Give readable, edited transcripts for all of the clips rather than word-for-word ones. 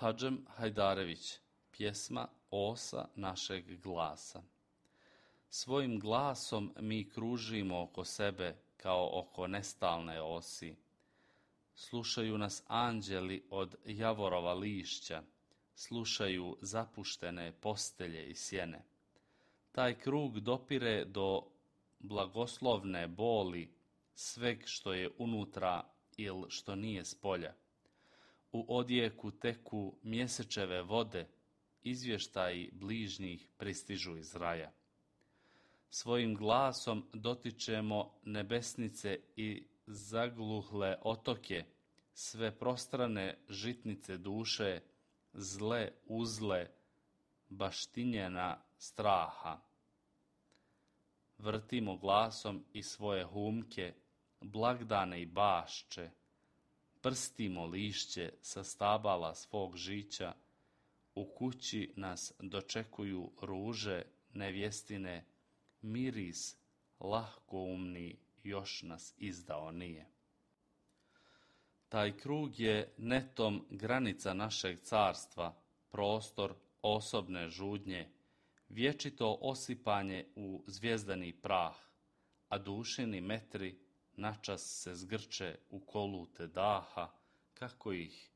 Hadžem Hajdarević, pjesma Osa našeg glasa. Svojim glasom mi kružimo oko sebe kao oko nestalne osi. Slušaju nas anđeli od javorova lišća, slušaju zapuštene postelje i sjene. Taj krug dopire do blagoslovne boli sveg što je unutra ili što nije spolja. U odjeku teku mjesečeve vode, izvještaji bližnjih pristižu iz raja. Svojim glasom dotičemo nebesnice i zagluhle otoke, sve prostrane žitnice duše, zle uzle, baštinjena straha. Vrtimo glasom i svoje humke, blagdane i bašče, prstimo lišće sa stabala svog žića, u kući nas dočekuju ruže nevjestine, miris lahkoumni još nas izdao nije. Taj krug je netom granica našeg carstva, prostor osobne žudnje, vječito osipanje u zvijezdani prah, a dušini metri načas se zgrče u kolute daha, kako ih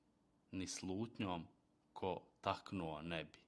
ni slutnjom ko taknuo ne bi.